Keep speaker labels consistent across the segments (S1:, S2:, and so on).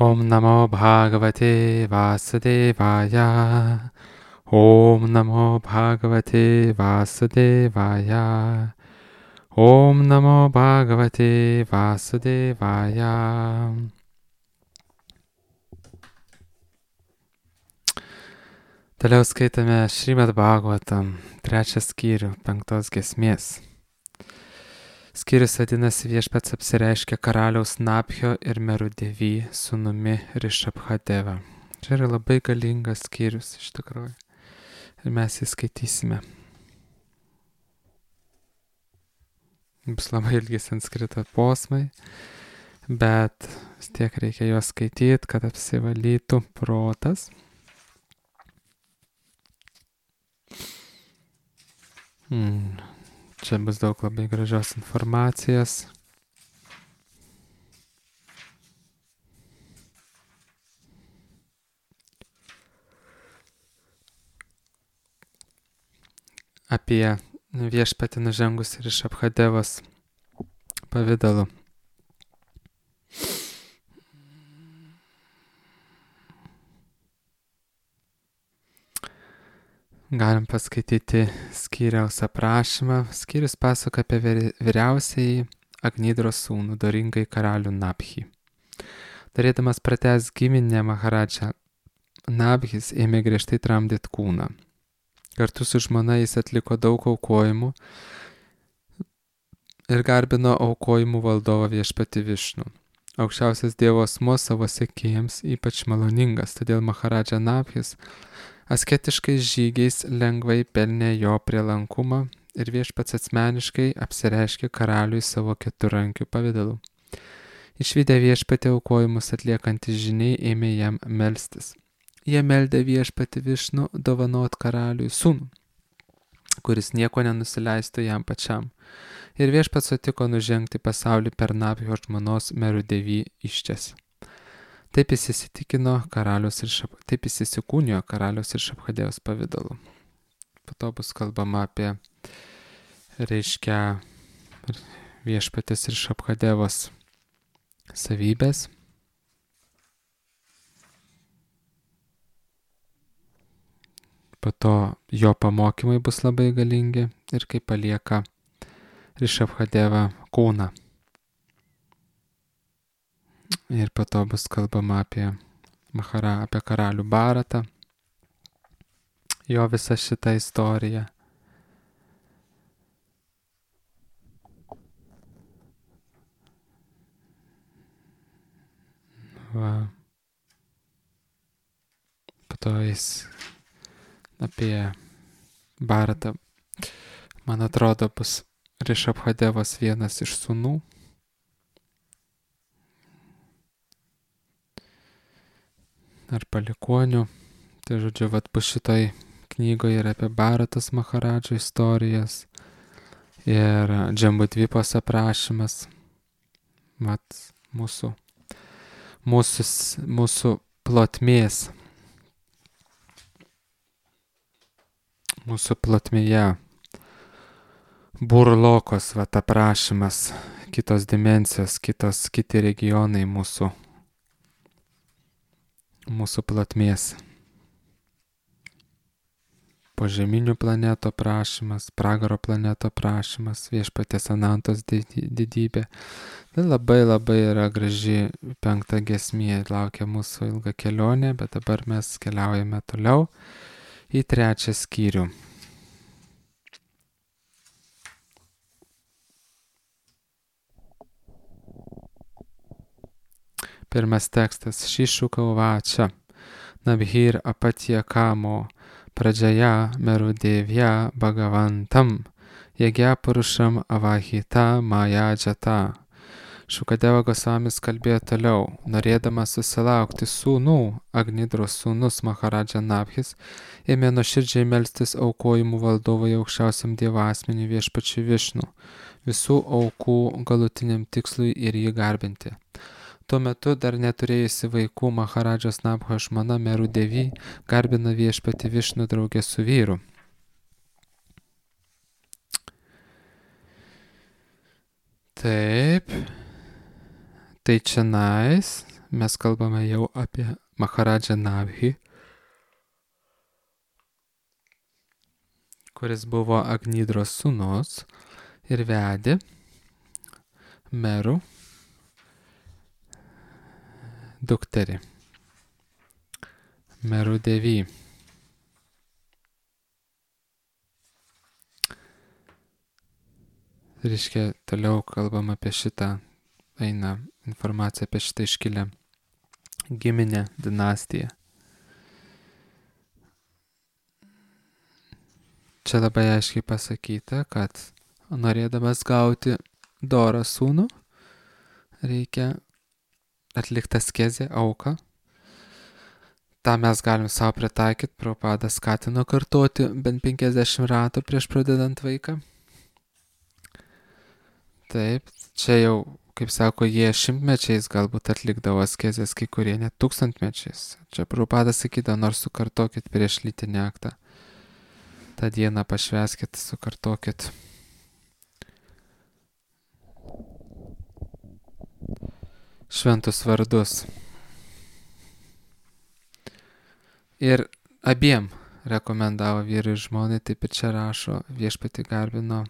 S1: Om Namo Bhagavate Vasudevaya. Om Namo Bhagavate Vasudevaya. Om Namo Bhagavate Vasudevaya. Toliau skaitame Šrimad Bhagavatam, 3 skyrių, 5 giesmės. Skyrius vadinasi Viešpats apsireiškia karaliaus Nabhio ir Merudevy sūnumi Rišabhadeva. Čia yra labai galingas skyrius iš tikrųjų. Ir mes jį skaitysime. Bus labai ilgi sanskrito posmai, bet vis tiek reikia juos skaityti, kad apsivalytų protas. Čia bus daug labai gražios informacijos. Apie viešpatį nužengus ir iš Abhadevos pavidalu. Galim paskaityti skyriaus aprašymą. Skyrius pasako apie vyriausiai Agnidros sūnų, doringai karalių Nabhį. Darėdamas pratęs giminę Maharadža, Nabhis ėmė griežtai tramdyti kūną. Kartu su žmona jis atliko daug aukojimų ir garbino aukojimų valdovą viešpatį Višnų. Aukščiausias Dievo asmuo savo sekėjams ypač maloningas, todėl Maharadža Nabhis asketiškais žygiais lengvai pelnė jo prielankumą ir viešpats asmeniškai apsireiškė karaliui savo keturrankiu pavidalu. Išvydę viešpatį aukojimus atliekantys žyniai ėmė jam melstis. Jie meldė viešpatį Višnų dovanot karaliui sūnų, kuris nieko nenusileistų jam pačiam. Ir viešpats sutiko nužengti pasaulį per Nabhio žmonos Merudevy iščias. Taip jis įsikūnijo karaliaus ir Šabhadevos pavidalu. Po to bus kalbama apie viešpatės ir Šabhadevos savybės. Po to jo pamokymai bus labai galingi ir kaip palieka Rišabhadeva kūną. Ir po to bus kalbama apie karalių Bharatą, jo visą šitą istoriją. Po to jis apie Bharatą, man atrodo, bus Rišabhadevos vienas iš sūnų. Ar palikonių. Tai žodžiu, bus šitoj knygoje ir apie Bharatos Maharadžo istorijas ir Džambudvipos aprašymas. Mūsų plotmės. Mūsų plotmėje burlokos aprašymas, kitos dimensijos, kiti regionai mūsų plotmės. Požeminių planetų aprašymas, pragaro planetų aprašymas, viešpaties Anantos didybė. Tai labai yra graži 5 giesmė, laukia mūsų ilga kelionė, bet dabar mes keliaujame toliau į 3 skyrių. Pirmas tekstas. Šišuka uvačia. Nabhir apatya kamo pradžaya merudevya bhagavantam yagya purušam avahita majadžata. Šukadeva Gosvamis kalbėjo toliau. Norėdamas susilaukti sūnų, Agnidros sūnus Maharadža Nabhis ėmė nuoširdžiai melstis aukojimų valdovui aukščiausiam Dievo asmeniui viešpačiui Višnų, visų aukų galutiniam tikslui ir jį garbinti. Tuo metu dar neturėjusi vaikų Maharadžos Nabhio žmona Merudevy garbina viešpatį Višnų draugė su vyru. Taip. Tai čionais mes kalbame jau apie Maharadžą Nabhi, kuris buvo Agnidros sūnus ir vedė merų dukterį, merų devį. Reiškia, toliau kalbam apie šitą, eina informacija apie šitą iškilę giminę, dinastiją. Čia labai aiškiai pasakyta, kad norėdamas gauti dorą sūnų, reikia atlikti askezę, auką. Ta mes galim savo pritaikyti, Prabhupada skatino kartoti bent 50 ratų prieš pradedant vaiką. Taip, čia jau, kaip sako, jie šimtmečiais galbūt atlikdavo askezės, kai kurie net tūkstantmečiais. Čia Prabhupada sakydavo, nors sukartokit prieš lytinį aktą. tą dieną pašvęskit, sukartokit. Šventus vardus. Ir abiem rekomendavo vyrui ir žmonai, taip ir čia rašo, viešpatį garbino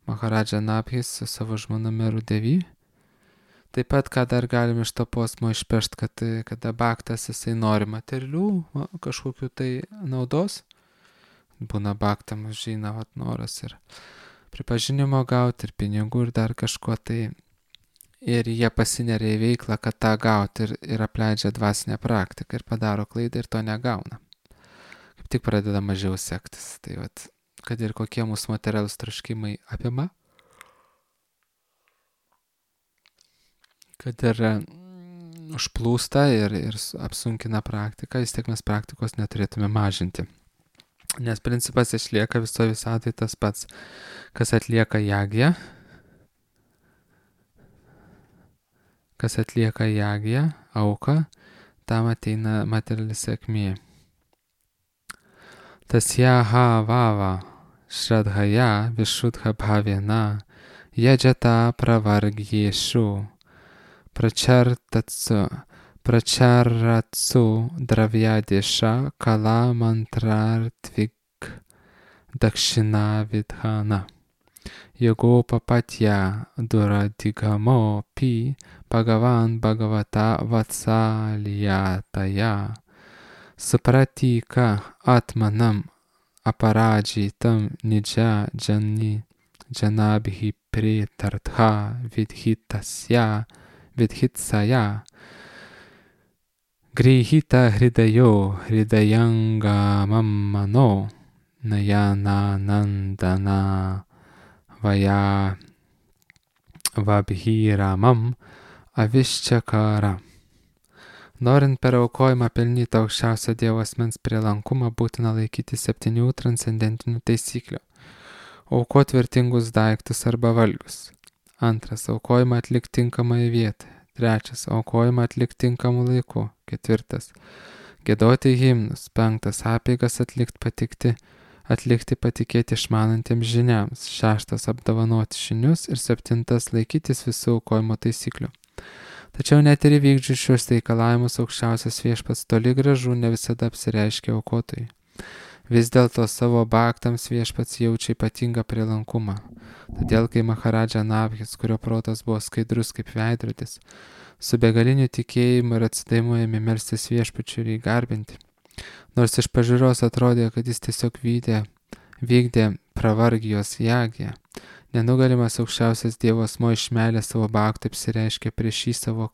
S1: Maharadža Nabhis su savo žmona Meru Devi. Taip pat, ką dar galim iš to posmo išpešti, kad kada baktas jisai nori materialių kažkokių tai naudos, būna baktam žina noras ir pripažinimo gauti, ir pinigų, ir dar kažko tai. Ir jie pasineria į veiklą, kad tą gauti ir apleidžia dvasinę praktiką ir padaro klaidą ir to negauna. Kaip tik pradeda mažiau sektis. Tai vat, kad ir kokie mūsų materialūs troškimai apima, kad ir užplūsta ir apsunkina praktiką, vis tiek mes praktikos neturėtume mažinti. Nes principas išlieka viso visatoj tas pats, kas atlieka jagją, auką, tam ateina materiali sėkmė. Tasyaha vava shradhaya vishudha bhavena yajata pravargyeshu pracharatsu dravyadesha kala mantrartvik dakshina vidhana. Yogopapatya duradigamo pi Bhagavan Bhagavata Vatsalyataya Supratika Atmanam Aparajitam Nija Janabhi Pritartha Vidhitsaya Grihita Hridayo Hridayangamam Mano Nayana Nandana Vaya Vabhiramam Aviščakara. Norint per aukojimą pelnyti aukščiausio Dievo asmens prielankumą, būtina laikyti 7 transcendentinių taisyklių. Aukoti vertingus daiktus arba valgius. 2. Aukojimą atlikti tinkamoje vietoje. 3. Aukojimą atlikti tinkamu laiku. 4. Giedoti himnus. 5. Apeigas atlikti patikėti išmanantiems žiniams. 6. Apdovanoti žinius. Ir 7. Laikytis visų aukojimo taisyklių. Tačiau net ir įvykdžius šios reikalavimus aukščiausias viešpats toli gražu ne visada apsireiškia aukotojui. Vis dėlto savo baktams viešpats jaučia ypatingą prielankumą. Todėl, kai Maharadža Nabhis, kurio protas buvo skaidrus kaip veidrodis, su begaliniu tikėjimu ir atsidavimu ėmė melstis viešpačiui ir jį garbinti, nors iš pažiūros atrodė, kad jis tiesiog vykdė pravargijos jagę, nenugalimas aukščiausias Dievo asmuo iš meilės savo baktui apsireiškė prieš jį savo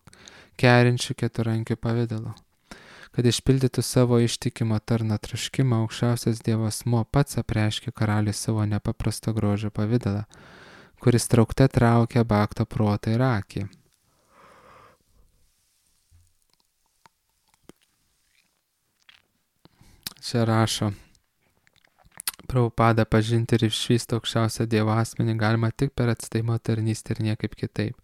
S1: kerinčių keturankių pavidalu. Kad išpildytų savo ištikimo tarno troškimą, aukščiausias Dievo asmuo pats apreiškė karaliui savo nepaprasto grožio pavidalą, kuris traukte traukia bakto protą ir akį. Čia rašo, Prabhupada pažinti ir išvysti aukščiausią Dievo asmenį galima tik per atsidavimo tarnystę ir niekaip kitaip.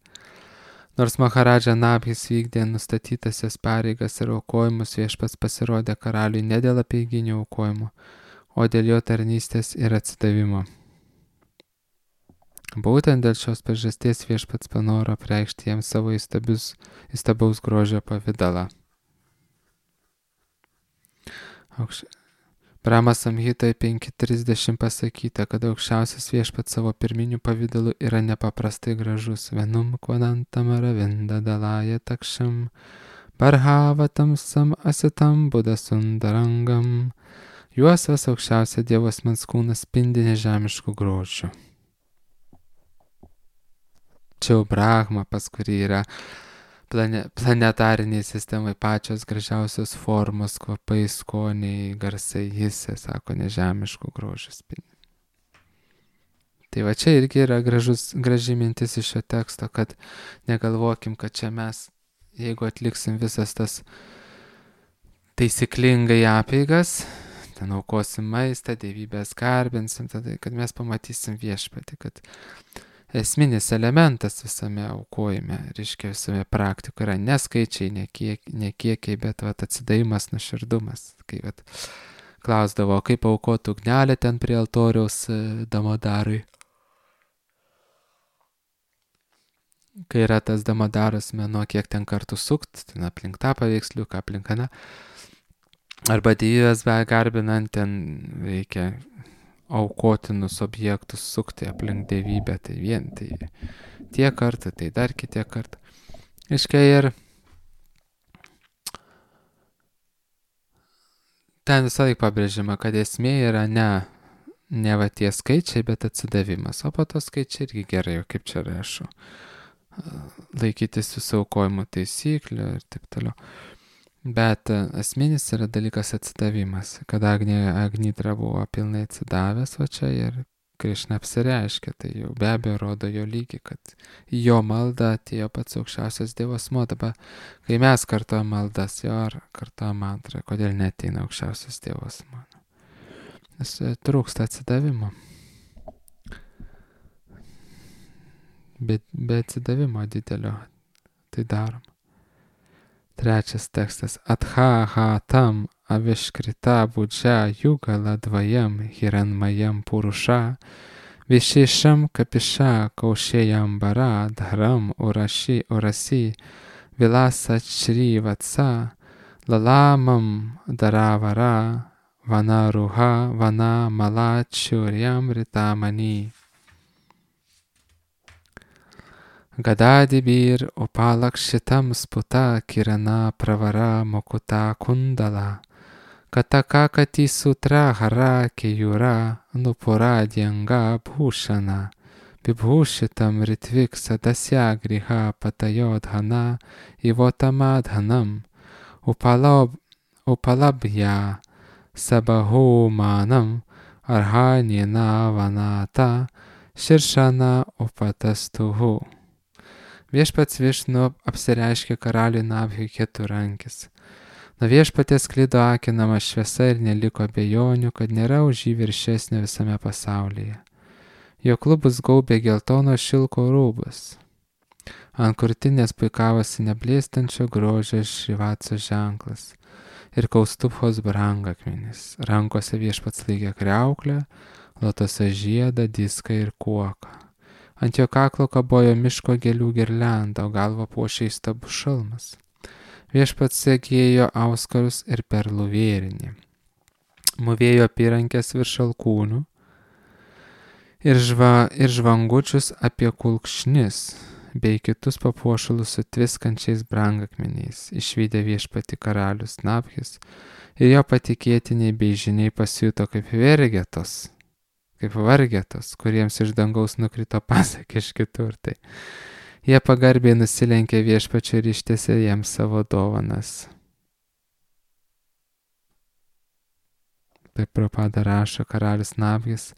S1: Nors Maharadža Nabhis vykdė nustatytasias pareigas ir aukojimus, viešpats pasirodė karaliui ne dėl apeiginių aukojimų, o dėl jo tarnystės ir atsidavimo. Būtent dėl šios priežasties Viešpats panoro apreikšti jiems savo įstabaus grožio pavidalą. Brahma Samhitoje 5.30 pasakyta, kad aukščiausias Viešpats savo pirminiu pavidalu yra nepaprastai gražus. Venum kvanantam aravinda dalaja takšam, barhavatam sam asitam budasundarangam. Juosvas aukščiausia Dievo asmens kūnas spindi nežemiškų grožių. Čia jau Brahma, pas kurį yra planetariniai sistemai pačios gražiausios formos, kvapai, skoniai, garsai, jisai, sako, nežemiškų grožių spindi. Tai va čia irgi yra graži mintis iš šio teksto, kad negalvokim, kad čia mes, jeigu atliksim visas tas taisyklingai apeigas, ten aukosim maistą, dievybės garbinsim, tada, kad mes pamatysim Viešpatį, kad esminis elementas visame aukojime, reiškia visame praktikoje yra ne skaičiai, ne kiekiai, bet atsidavimas, nuoširdumas. Kai klausdavo, kaip aukotų ugnelę ten prie altoriaus Damodarui. Kai yra tas Damodaras mėnuo, kiek ten kartų sukt, ten aplink tą paveiksliuką, aplink aną. Arba dievybės garbinant, ten reikia aukotinus objektus sukti aplink dievybę, tai vien, tai tiek kartų, tai dar kiek kartų. Iškai ir ten visą laiką pabrėžima, kad esmė yra ne va tie skaičiai, bet atsidavimas. O po to skaičiai irgi gerai, kaip čia rašo. Laikytis visų aukojimo taisyklių ir taip toliau. Bet esminis yra dalykas atsidavimas, kad Agnidra buvo pilnai atsidavęs, o čia ir Krišna apsireiškia, tai jau be abejo rodo jo lygį, kad jo malda atėjo pats aukščiausias Dievo asmuo. Dabar, kai mes kartuojam maldas, jo ar kartuojam mantrą, kodėl neateina aukščiausias Dievo asmuo? Nes trūksta atsidavimo. Be atsidavimo didelio tai darom. Trečias tekstas. Atha tam aviškrita budžia jugala dvajam hiranmayam purusha višešam kapisha kaušėjam bara dharam urasi vilasa čri vatsa lalamam daravara vanaruha vana malachuryam ritamani. Gadadibir upalakshitam sputa kirana pravara mokuta kundala kataka kati sutra hara keyura nupura dyanga bhushana vibhushitam ritvik sadasya griha patayodhana ivotamadhanam upalabhya sabahumanam arhanina vanata shirshana upatastuhu. Viešpats Višnu apsireiškė karaliui Nabhiui keturankis. Nuo Viešpaties sklido akinama šviesa ir neliko abejonių, kad nėra už jį viršesnio visame pasaulyje. Jo klubus gaubė geltono šilko rūbas. Ant krūtinės puikavosi neblėstančio grožio Šrivatso ženklas ir Kaustubhos brangakmenis. Rankose Viešpats laikė kriauklę, lotoso žiedą, diską ir kuoką. Ant jo kaklo kabojo miško gėlių girlianda, o galvą puošė įstabus šalmas. Viešpats segėjo auskarus ir perlų vėrinį. Mūvėjo apyrankės virš alkūnių ir žvangučius apie kulkšnis, bei kitus papuošalus su tviskančiais brangakmeniais. Išvydę Viešpatį karalius Nabhis ir jo patikėtiniai bei žiniai pasijuto kaip vargetos, kuriems iš dangaus nukrito pasakė iš kitur. Tai jie pagarbiai nusilenkė Viešpačiui ir ištiesė jiems savo dovanas. Taip Prabhupada rašo, karalius Nabhis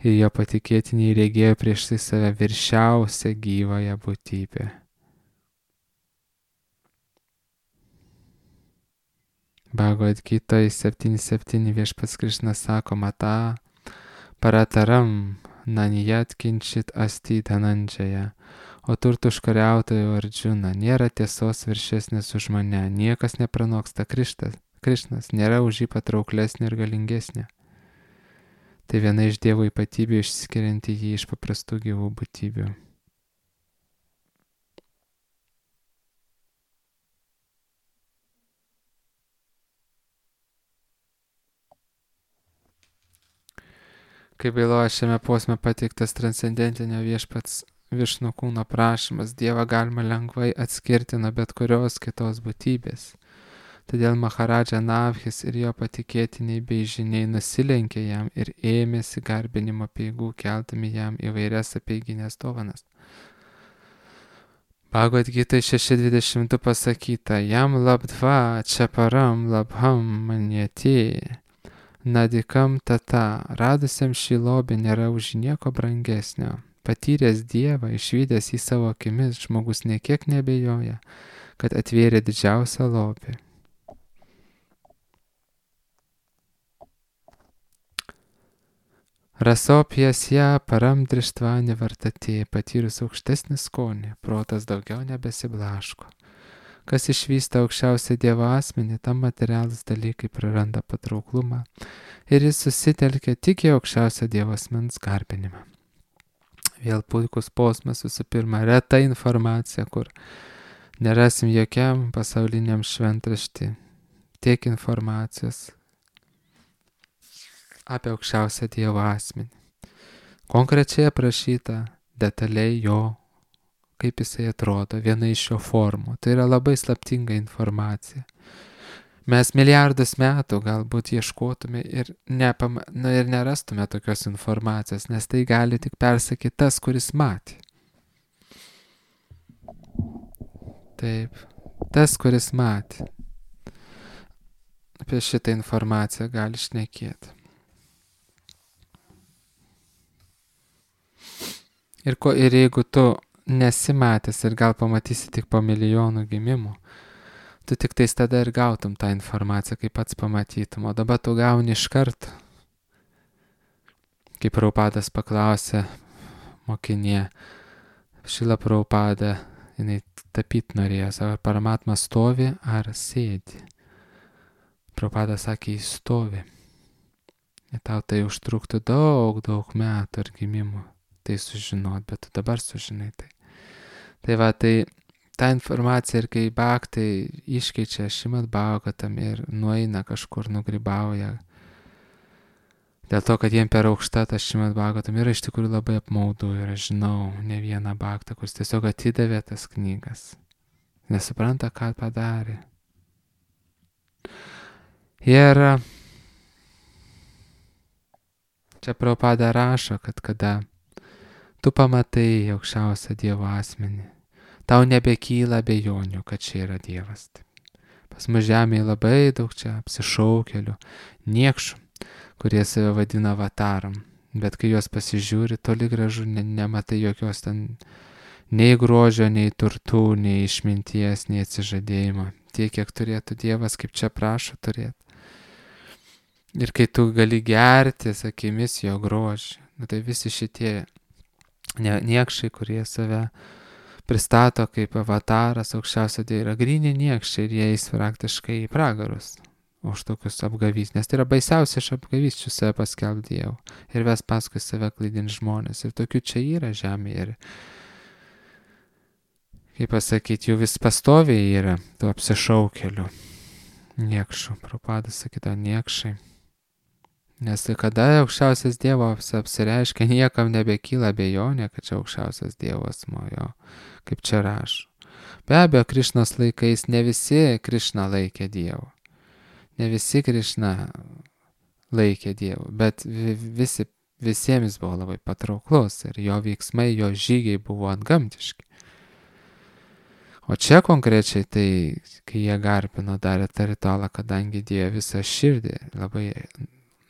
S1: ir jo patikėtiniai regėjo prieš tai save viršiausią gyvąją būtybę. Bhagavad Gita 7.7 Viešpats Krišna sako, Mata parataram nanijat kinčit asti dhananjaya, o turtų užkariautojo Arjuna, nėra tiesos viršesnės už mane, niekas nepranoksta Krišnas, nėra už jį patrauklesnė ir galingesnė. Tai viena iš Dievo ypatybių išskirianti jį iš paprastų gyvų būtybių. Kaip byloja šiame posme pateiktas transcendentinio viešpats Višnu kūno prašymas, Dievą galima lengvai atskirti nuo bet kurios kitos būtybės. Todėl Maharadža Navhis ir jo patikėtiniai bei žiniai nusilenkė jam ir ėmėsi garbinimo peigų, keldami jam įvairias apeiginės dovanas. Bhagavad Gita 6.22 pasakyta, jam labdva čaparam labham manjati, nadikam tata, radusiam šį lobį nėra už nieko brangesnio. Patyręs Dievą, išvydęs į savo akimis, žmogus niekiek nebejoja, kad atvėrė didžiausią lobį. Rasopjesja param drištva nevartatė, patyrus aukštesnį skonį, protas daugiau nebesiblaško. Kas išvysta aukščiausią Dievo asmenį, tam materialus dalykai praranda patrauklumą ir jis susitelkia tik į aukščiausią Dievo asmens garbinimą. Vėl puikus posmas, visų pirma, reta informacija, kur nerasim jokiam pasauliniam šventraštį tiek informacijos apie aukščiausią Dievo asmenį. Konkrečiai aprašyta detaliai jo, kaip jisai atrodo, viena iš jo formų. Tai yra labai slaptinga informacija. Mes milijardus metų galbūt ieškotume ir nerastume tokios informacijos, nes tai gali tik persakyti tas, kuris matė. Taip, tas, kuris matė. Apie šitą informaciją gali šnekėti. Ir jeigu tu nesimatęs ir gal pamatysi tik po milijonų gimimų, tu tik tais tada ir gautum tą informaciją, kaip pats pamatytum, o dabar tu gauni iš karto. Kaip Prabhupadas paklausė mokinė, Šrila Prabhupada, jinai tapyt norėjo, ar Paramatma stovi ar sėdi. Prabhupadas sakė, jis stovi. Ir tau tai užtruktų daug metų ar gimimų tai sužinot, bet tu dabar sužinai tai. Tai va, tai ta informacija ir kai bhaktai iškeičia Šrimad Bhagavatam ir nueina kažkur, nugrybauja, dėl to, kad jiem per aukšta tas Šrimad Bhagavatam yra iš tikrųjų labai apmaudu ir aš žinau ne vieną bhaktą, kuris tiesiog atidavė tas knygas, nesupranta, ką padarė. Ir čia Prabhupada rašo, kad kada tu pamatai aukščiausią Dievo asmenį, tau nebekyla abejonių, kad čia yra Dievas. Pas mus žemėje labai daug čia apsišaukėlių, niekšų, kurie save vadina avataram, bet kai juos pasižiūri, toli gražu nematai jokios ten nei grožio, nei turtų, nei išminties, nei atsižadėjimo. Tiek, kiek turėtų Dievas, kaip čia prašo turėti. Ir kai tu gali gerti akimis jo grožį, tai visi šitie niekšai, kurie save pristato kaip avataras aukščiausio Dievo, yra gryni niekšai ir jie eis praktiškai į pragarus už tokius apgavys, nes tai yra baisiausia iš apgavysčių save paskelbti Dievu ir ves paskui save klaidinti žmonės. Ir tokių čia yra žemėje. Ir, kaip pasakyti, jų vis pastoviai yra tų apsišaukėlių niekšų. Prabhupadas sakyta niekšai. Nes kada aukščiausias Dievas apsireiškia, niekam nebekyla abejonė, kad čia aukščiausias Dievo asmuo jo, kaip čia rašo. Be abejo, Krišnos laikais ne visi Krišną laikė Dievu. Ne visi Krišną laikė Dievu, bet visiems buvo labai patrauklus ir jo veiksmai, jo žygiai buvo antgamtiški. O čia konkrečiai tai, kai jie garbino, darė tą ritualą, kadangi dėjo visą širdį,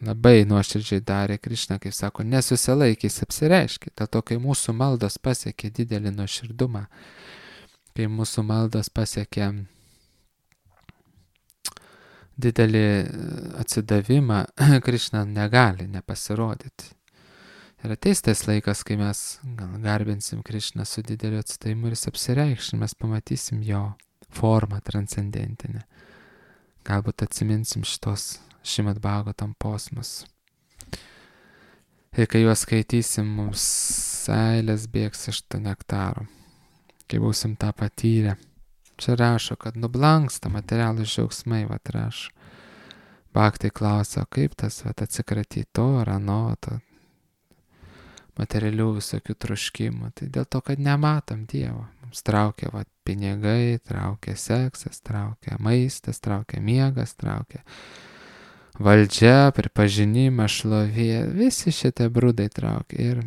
S1: labai nuoširdžiai darė Krišną, kaip sako, nesusilaikys apsireiškė. Dėl to, kai mūsų maldos pasiekė didelį nuoširdumą, kai mūsų maldos pasiekė didelį atsidavimą, Krišna negali nepasirodyti. Ir ateis tas laikas, kai mes garbinsim Krišną su dideliu atsidavimu ir jis apsireikš, mes pamatysim jo formą transcendentinę. Galbūt atsiminsim šitos Šrimad Bhagavatam posmus. Ir kai juos skaitysim, mums seilės bėgs iš to nektaro, kai būsim tą patyrę. Čia rašo, kad nublanksta materialūs džiaugsmai, rašo. Bhakti klausia, kaip tas atsikratyti to ar ano, to materialių visokių troškimų. Tai dėl to, kad nematom Dievo. Mums traukia pinigai, traukia seksas, traukia maistas, traukia miegas, traukia valdžia, pripažinimas, šlovė. Visi šitie brūdai traukia. Ir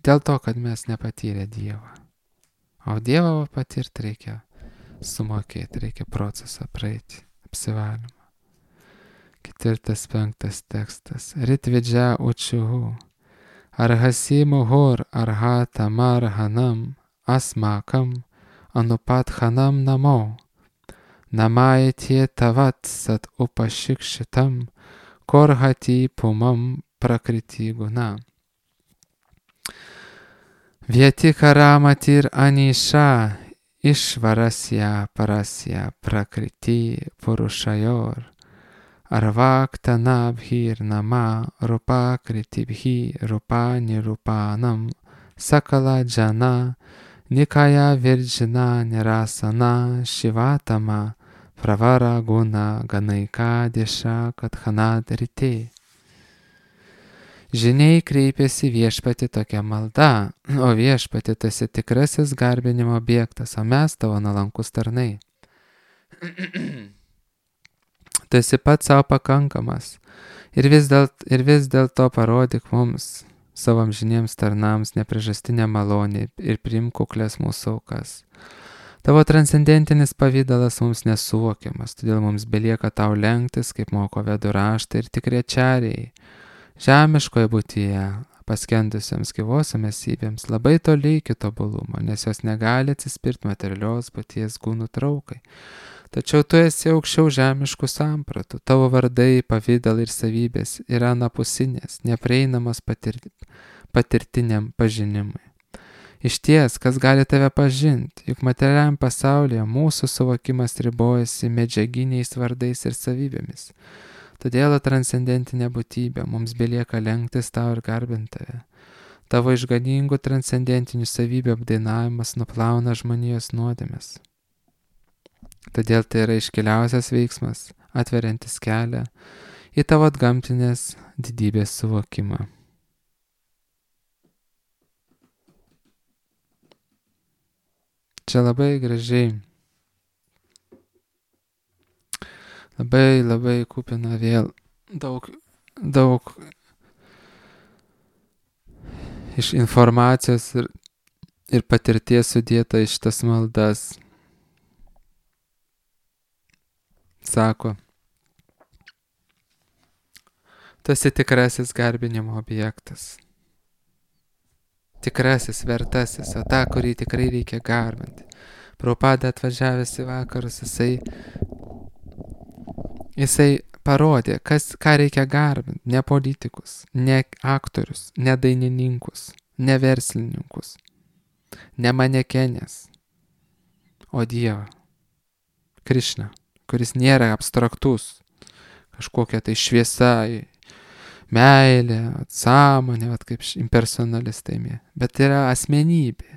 S1: dėl to, kad mes nepatyrė Dievą. O Dievą patirti reikia sumokėti, reikia procesą praeiti, apsivalymą. 4-5 tekstas. Ritvidžia učiuhu. Arhasi muhur arhata marhanam asmakam anupathanam namo. Namaitie tavat sat upashikšitam korhati pumam prakriti guna. Vyetikaramati anisha išvarasya parasya prakriti purushayor. Arvaktanabhir nama rupa kritibhi rupa nirupanam sakala jana nikaya virjina nirasana shivatama pravara guna ganaika disha kathanadrite. Žiniai kreipėsi viešpati tokia malda, o viešpati tu esi tikrasis garbinimo objektas, o mes tavo nuolankus tarnai. Tu esi pats savo pakankamas ir vis dėlto parodyk mums, savo amžiniems tarnams, nepriežastinę malonę ir priimk kuklias mūsų aukas. Tavo transcendentinis pavydalas mums nesuvokiamas, todėl mums belieka tau lenktis, kaip moko vedų raštai ir tikriečiariai. Žemiškoje būtyje, paskendusiems gyvosiam esybėms, labai toli iki tobulumo, nes jos negali atsispirti materialios būties gūnų traukai. Tačiau tu esi aukščiau žemiškų sampratų, tavo vardai, pavydalai ir savybės yra anapusinės, neprieinamas patirtiniam pažinimui. Išties, kas gali tave pažinti, juk materialiam pasaulyje mūsų suvokimas ribojasi medžiaginiais vardais ir savybėmis. Todėl transcendentinė būtybė mums belieka lenktis tau ir garbinti tave. Tavo išganingų transcendentinių savybių apdainavimas nuplauna žmonijos nuodėmes. Todėl tai yra iškiliausias veiksmas, atveriantis kelią į tavo atgamtinės didybės suvokimą. Čia labai gražiai, labai kupina vėl daug iš informacijos ir patirties sudėta iš tas maldas. Sako, tu esi tikrasis garbinimo objektas. Tikrasis, vertasis, o tą, kurį tikrai reikia garbinti. Prabhupada atvažiavęs į vakarus, jisai parodė, ką reikia garbinti. Ne politikus, ne aktorius, ne dainininkus, ne verslininkus, ne manekenės, o Dievą, Krišną, kuris nėra abstraktus, kažkokia tai šviesa, meilė, sąmonė, kaip impersonalistai, bet yra asmenybė.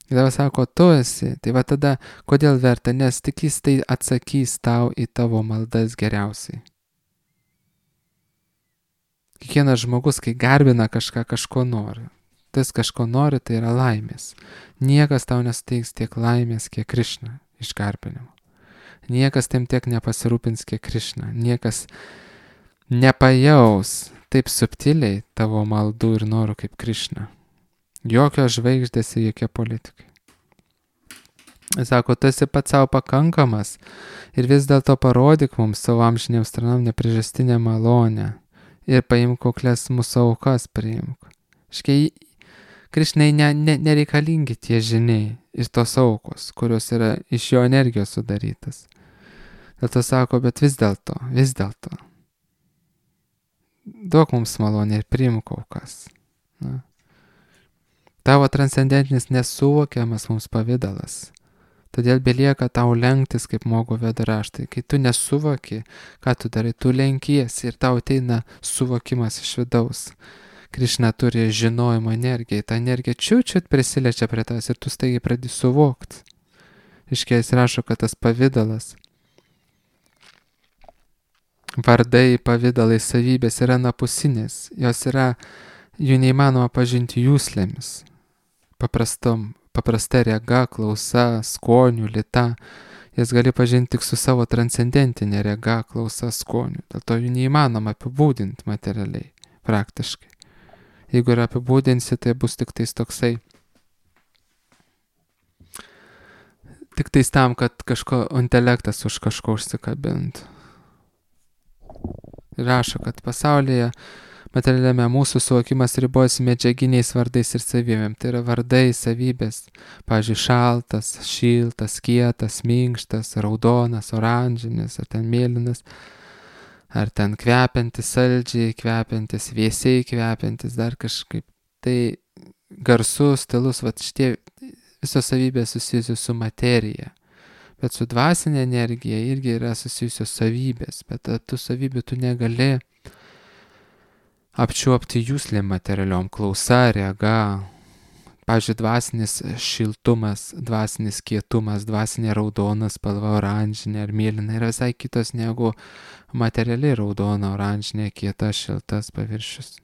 S1: Ir dabar sako, tu esi, tai tada kodėl verta, nes tik jis tai atsakys tau į tavo maldas geriausiai. Kiekvienas žmogus, kai garbina kažko nori, tas kažko nori, tai yra laimės. Niekas tau nesuteiks tiek laimės, kiek Krišna iš garbinimo. Niekas tam tiek nepasirūpins, kiek Krišna. Niekas nepajaus taip subtiliai tavo maldų ir norų kaip Krišna. Jokios žvaigždės ir jokie politikai. Sako, tu esi pats savo pakankamas ir vis dėlto parodyk mums savo amžinėms tarnam nepriežastinę malonę ir paimk kuklias mūsų aukas priimk. Škai Krišnai nereikalingi tie žiniai ir tos aukos, kurios yra iš jo energijos sudarytas. Dėl to sako, bet vis dėlto, duok mums malonę ir priimk aukas. Tavo transcendentinis nesuvokiamas mums pavidalas, Todėl belieka tau lenktis, kaip moko Vedų raštai. Kai tu nesuvoki, ką tu darai, tu lenkiesi ir tau ateina suvokimas iš vidaus. Krišna turi žinojimo energiją, ta energija čiut prisiliečia prie tas ir tu staigiai pradedi suvokti. Iškės rašo, kad tas pavidalas, vardai, pavidalai, savybės yra anapusinės, jų neįmanoma pažinti jūslėmis. Paprasta rega, klausa, skonių, lyta, jas gali pažinti tik su savo transcendentinė rega, klausa, skonių. Dėl to jų neįmanoma apibūdinti materialiai, praktiškai. Jeigu ir apibūdinsi, tai bus tik tais toksai, tik tais tam, kad intelektas už kažko užsikabintų. Rašo, kad pasaulyje materialiame mūsų suvokimas ribojasi medžiaginiais vardais ir savybėm. Tai yra vardai, savybės. Pavyzdžiui, šaltas, šiltas, kietas, minkštas, raudonas, oranžinis, ar ten mėlynas, ar ten kvepiantis saldžiai, kvepiantis, vėsiai kvepiantis, dar kažkaip. Tai garsus, stilus, šitie visos savybės susijusios su materija. Bet su dvasinė energija irgi yra susijusios savybės, bet tų savybių tu negali apčiuopti jūslėm materialiom, klausa, rega. Pavyzdžiui, dvasinis šiltumas, dvasinis kietumas, dvasinė raudona spalva, oranžinė ar mėlyna yra visai kitos negu materialiai raudona, oranžinė, kieta, šiltas paviršius.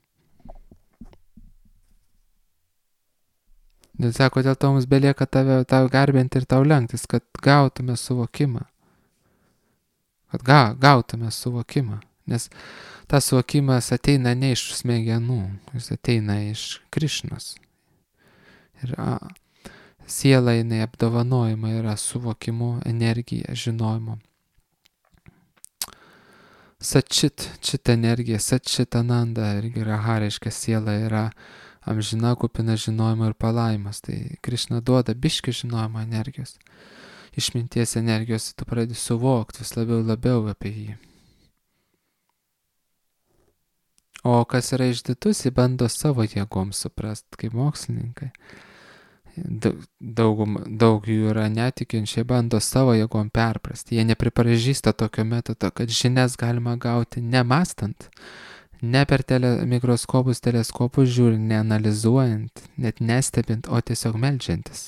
S1: Ir sako, dėl to mums belieka tau garbinti ir tau lenktis, kad gautume suvokimą. Nes tas suvokimas ateina ne iš smegenų, jis ateina iš Krišnos. Ir siela jinai apdovanojama yra suvokimu, energija, žinojimu. Čit energija, Satčit Ananda, irgi Raha reiškia siela yra amžina, kupina žinojimo ir palaimas. Tai Krišna duoda biškį žinojimo energijos. Išminties energijos tu pradedi suvokti vis labiau apie jį. O kas yra išdidus, jį bando savo jėgom suprast, kaip mokslininkai. Daug jų yra netikinčiai, bando savo jėgom perprasti. Jie nepripažįsta tokio metodo, kad žinias galima gauti nemastant, ne per mikroskopus, teleskopus žiūrint, neanalizuojant, net nestebint, o tiesiog meldžiantis.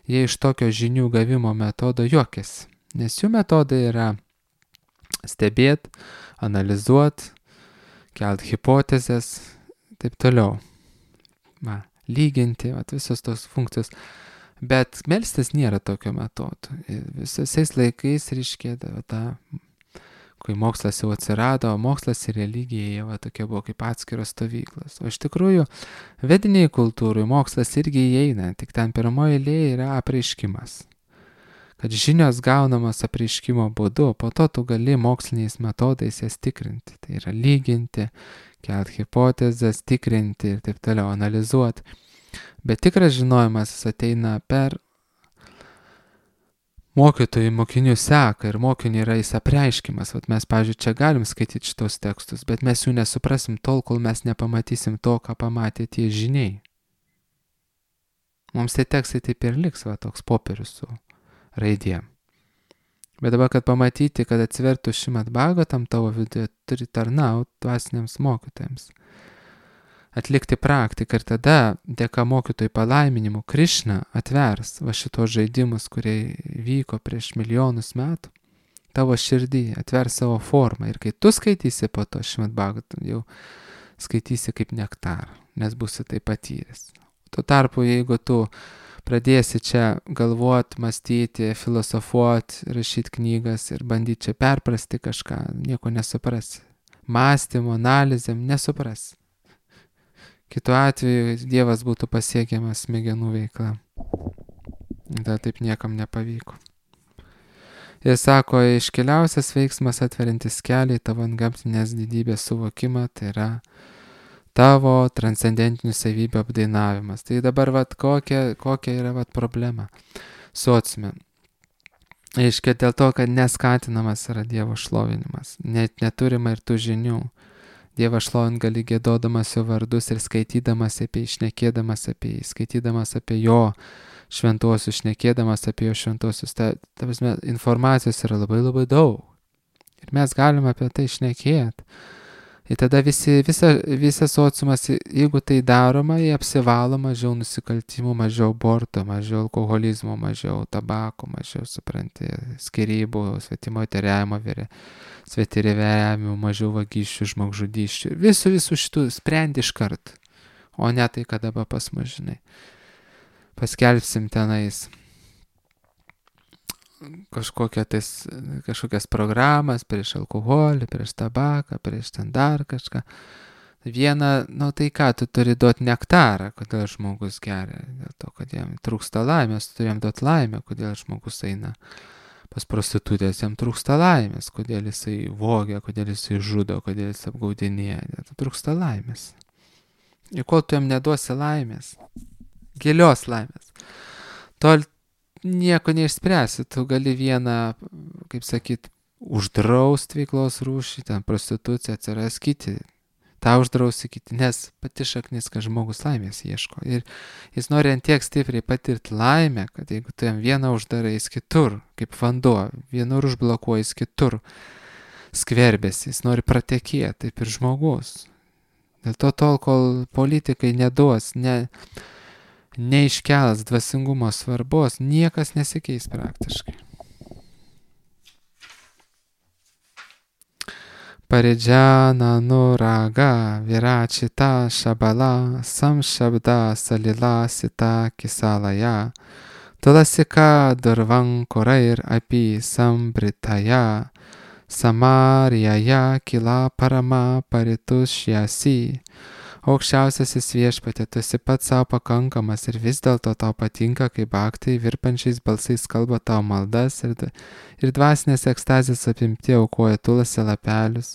S1: Jie iš tokio žinių gavimo metodo juokiasi, nes jų metodai yra stebėti, analizuoti, kelt hipotezės, taip toliau. Lyginti, visos tos funkcijos. Bet melstis nėra tokio metodo. Visais laikais reiškia kai mokslas jau atsirado, mokslas ir religija jau tokie buvo kaip atskiros stovyklos. O iš tikrųjų, vediniai kultūrai mokslas irgi įeina, tik ten pirmoji eilėje yra apreiškimas. Kad žinios gaunamas apreiškimo būdu, po to tu gali moksliniais metodais jas tikrinti. Tai yra lyginti, kelt hipotezės, tikrinti ir taip toliau, analizuoti. Bet tikras žinojimas ateina per mokytojų mokinių seką ir mokinių yra jis apreiškimas. Mes, pavyzdžiui, čia galim skaityti šitos tekstus, bet mes jų nesuprasim tol, kol mes nepamatysim to, ką pamatė tie žiniai. Mums tie tekstai taip ir liks, toks popierius su raidėm. Bet dabar, kad pamatyti, kad atsivertų Šrimad Bhagavatam tavo viduje, turi tarnauti dvasiniams mokytojams. Atlikti praktiką ir tada, dėka mokytojų palaiminimų, Krišna atvers šitos žaidimus, kurie vyko prieš milijonus metų, tavo širdį, atvers savo formą. Ir kai tu skaitysi po to Šrimad Bhagavatam, jau skaitysi kaip nektarą, nes būsi tai patyręs. Tuo tarpu, jeigu tu pradėsi čia galvoti, mąstyti, filosofuoti, rašyti knygas ir bandyti čia perprasti kažką, nieko nesuprasi. Mąstymo, analizėm nesuprasi. Kitu atveju Dievas būtų pasiekiamas smegenų veikla. Da taip niekam nepavyko. Ir sako, iškiliausias veiksmas atverintis kelią į tavo antgamtinės didybės suvokimą, tai yra tavo transcendentinių savybių apdainavimas. Tai dabar kokia yra problema sociume. Aiškia dėl to, kad neskatinamas yra Dievo šlovinimas. Net neturima ir tų žinių. Dievą šlovint gali gėdodamas jo vardus ir skaitydamas apie jį, šnekėdamas apie jį, skaitydamas apie jo šventuosius, šnekėdamas apie jo šventuosius. Ta prasme, informacijos yra labai labai daug. Ir mes galime apie tai šnekėti. Ir tada visas sociumas, jeigu tai daroma, jie apsivalo mažiau nusikaltimų, mažiau aborto, mažiau alkoholizmo, mažiau tabako, mažiau, supranti, skyrybų, svetimo teriavimo, svetirivėjimų, mažiau vagysčių, žmogžudysčių. Visų šitų sprendi iš kart. O ne tai, kad dabar pas mus, žinai. Paskelbsim tenais kažkokias programas prieš alkoholį, prieš tabaką, prieš ten dar kažką. Viena, tai ką, tu turi duoti nektarą, kodėl žmogus geria, dėl to, kad jam trūksta laimės, tu turėjom duoti laimę, kodėl žmogus eina pas prostitutės, jam trūksta laimės, kodėl jisai vogia, kodėl jisai žudo, kodėl jisai apgaudinėja, trūksta laimės. Ir kol tu jam neduosi laimės, gilios laimės, tol nieko neišspręsi, tu gali vieną, kaip sakyt, uždraust veiklos rūšį, ten prostitucija atsiras kiti, tą uždrausi kiti, nes pati šaknis, kad žmogus laimės ieško. Ir jis nori ant tiek stipriai patirti laimę, kad jeigu tu jam vieną uždarai, jis kitur, kaip vanduo, vienur užblokuoja, jis kitur skverbėsi, jis nori pratekėti, taip ir žmogus. Dėl to tol, kol politikai neduos, neiškelas dvasingumo svarbos, niekas nesikeis praktiškai. Paridžana nuraga virachita šabala samšabda salila sita kisalaja tulasika durvankurair api sambritaya samarijaja kila parama paritušjasi. Aukščiausiasis viešpatie, tu esi pats savo pakankamas ir vis dėlto tau patinka, kai bhaktai virpančiais balsais kalba tavo maldas ir dvasinės ekstazės apimti aukoja tulasi lapelius,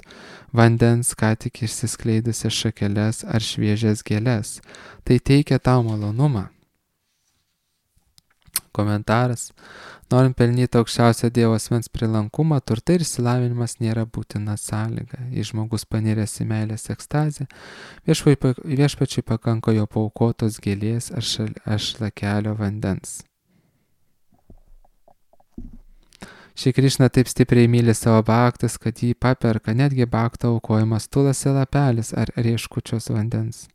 S1: vandens ką tik išsiskleidusias šakeles ar šviežias gėles. Tai teikia tau malonumą. Komentaras. Norint pelnyti aukščiausią Dievo asmens prilankumą, turtai ir išsilavinimas nėra būtina sąlyga. Jei žmogus paniręs į meilės ekstazę, viešpačiui pakanka jo paaukotos gėlės ar šlakelio vandens. Šį Krišną taip stipriai myli savo bhaktas, kad jį paperka netgi bhakto aukojimas tulasi lapelis ar rieškučios vandens.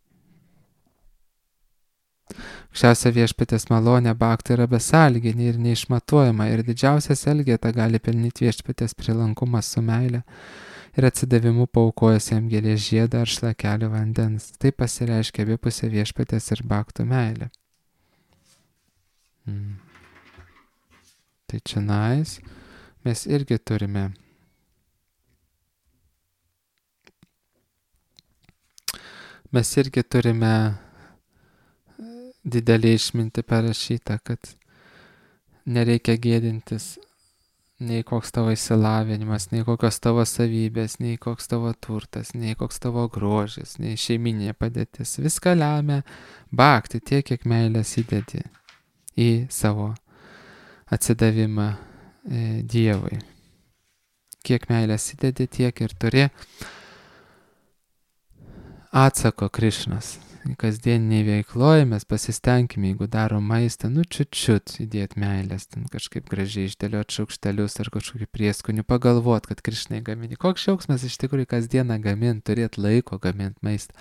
S1: Aukščiausia viešpatės malonė bhaktai yra besąlyginė ir neišmatuojama ir didžiausias elgeta gali pelnyti viešpatės prilankumą su meile ir atsidavimu paaukojęs jam gėlės žiedą ar šlakelį vandens. Tai pasireiškia abipusė viešpatės ir bhaktų meilė. Tai čionais mes irgi turime didelį išmintį parašyta, kad nereikia gėdintis nei koks tavo išsilavinimas, nei kokios tavo savybės, nei koks tavo turtas, nei koks tavo grožis, nei šeiminė padėtis. Viską lemia bhakti tiek, kiek meilės įdedi į savo atsidavimą Dievui. Kiek meilės įdedi, tiek ir turi atsako Krišnas. Kasdieniniai veikloje mes pasistengime, jeigu darom maistą, čiut įdėti meilės, ten kažkaip gražiai išdėlioti šaukštelius ar kažkokį prieskonių, pagalvot, kad Krišnai gamini. Koks džiaugsmas iš tikrųjų kasdieną gaminti, turėti laiko gaminti maistą.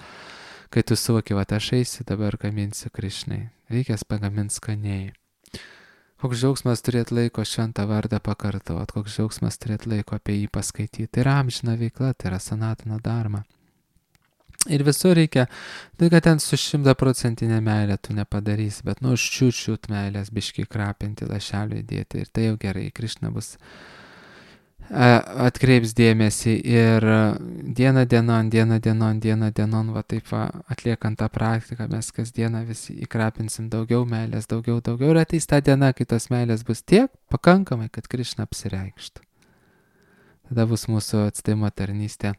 S1: Kai tu suvoki, va aš eisiu, dabar gaminsiu Krišnai. Reikės pagaminti skaniai. Koks džiaugsmas turėti laiko šventą vardą pakartot, koks džiaugsmas turėti laiko apie jį paskaityti. Tai yra amžina veikla, tai yra sanatana dharma. Ir visur reikia, tai kad ten su 100% meilė tu nepadarysi, bet čiut meilės biškai krapinti lašelį įdėti ir tai jau gerai, Krišna bus atkreips dėmesį ir dieną dienon, va taip va, atliekant tą praktiką, mes kasdieną visi įkrapinsim daugiau meilės, daugiau ir ateis ta diena, kai tos meilės bus tiek pakankamai, kad Krišna apsireikštų. Tada bus mūsų atsidavimo tarnystė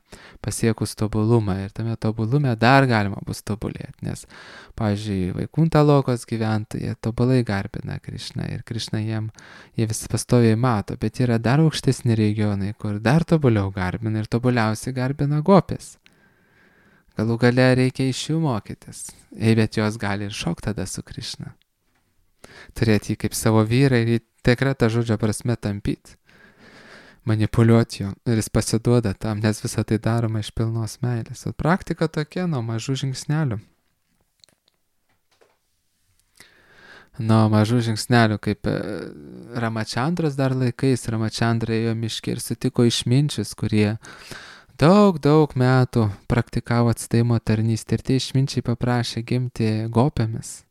S1: pasiekus tobulumą ir tame tobulume dar galima bus tobulėti, nes, pavyzdžiui, Vaikunta lokos gyventojai tobulai garbina Krišną ir Krišna jie visi pastoviai mato, bet yra dar aukštesni regionai, kur dar tobuliau garbina ir tobuliausiai garbina gopės. Galų gale reikia iš jų mokytis. Bet jos gali ir šokti tada su Krišna. Turėti jį kaip savo vyrą ir jį tikra ta žodžio prasme tampyti. Manipuliuoti jo. Ir jis pasiduoda tam, nes visą tai daroma iš pilnos meilės. O praktika tokia nuo mažų žingsnelių. Nuo mažų žingsnelių, kaip Ramačandros dar laikais. Ramačandra ėjo miške ir sutiko išminčius, kurie daug metų praktikavo atsidavimo tarnystę. Ir tie išminčiai paprašė gimti gopėmis.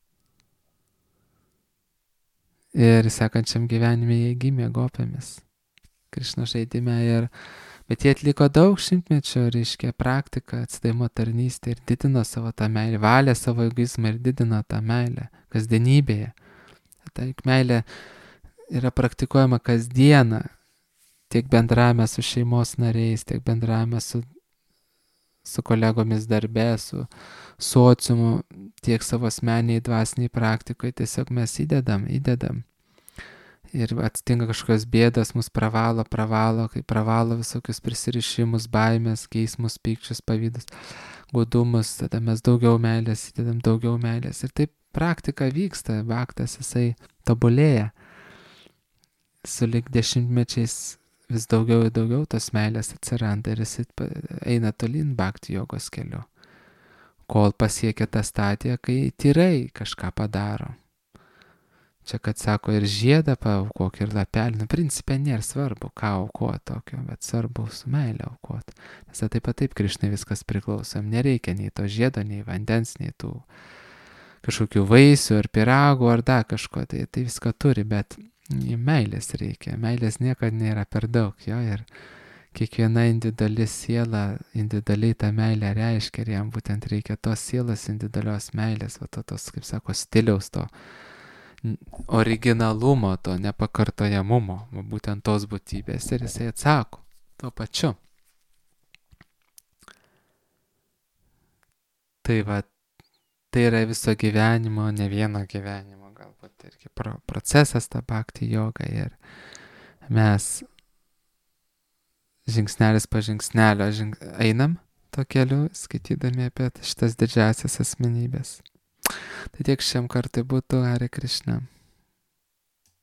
S1: Ir sekančiam gyvenime jie gimė gopėmis. Krišna žaidime. Bet jie atliko daug šimtmečių, reiškia, praktiką, atsidavimo tarnystę ir didino savo tą meilę, valė savo egoizmą ir didino tą meilę kasdienybėje. Ta meilė yra praktikuojama kasdieną, tiek bendravime su šeimos nariais, tiek bendravime su kolegomis darbe, su sociumu, tiek savo asmeniai dvasiniai praktikoje. Tiesiog mes įdedam. Ir atsitinka kažkokios bėdos, mus pravalo, kai pravalo visokius prisirišimus, baimės, geismus, pykčius, pavydus, gudumus, tada mes daugiau meilės įdedam, ir taip praktika vyksta, bhaktas jisai tobulėja. Sulig dešimtmečiais vis daugiau ir daugiau tos meilės atsiranda ir jisai eina tolyn bhakti jogos keliu, kol pasiekia tą stadiją, kai tyrai kažką padaro. Čia, kad sako, ir žiedą paaukok, ir lapelį. Principe nėra svarbu, ką aukoti tokio, bet svarbu su meilė aukoti. Nes taip Krišnai viskas priklauso. Nereikia nei to žiedo, nei vandens, nei tų kažkokių vaisių, ar pyragų, ar dar kažko. Tai viską turi, bet meilės reikia. Meilės niekada nėra per daug. Jo, ir kiekviena individuali siela individualiai tą meilę reiškia. Ir jam būtent reikia tos sielos individualios meilės, tos, kaip sako, stiliaus to. Originalumo, to nepakartojamumo, būtent tos būtybės, ir jisai atsako tuo pačiu. Tai yra viso gyvenimo, ne vieno gyvenimo, galbūt irgi procesas ta bhakti joga, ir mes žingsnelis po žingsnelio einam to keliu, skaitydami apie šitas didžiasias asmenybės. Tai tiek šiam kartui būtų. Hare Krishna.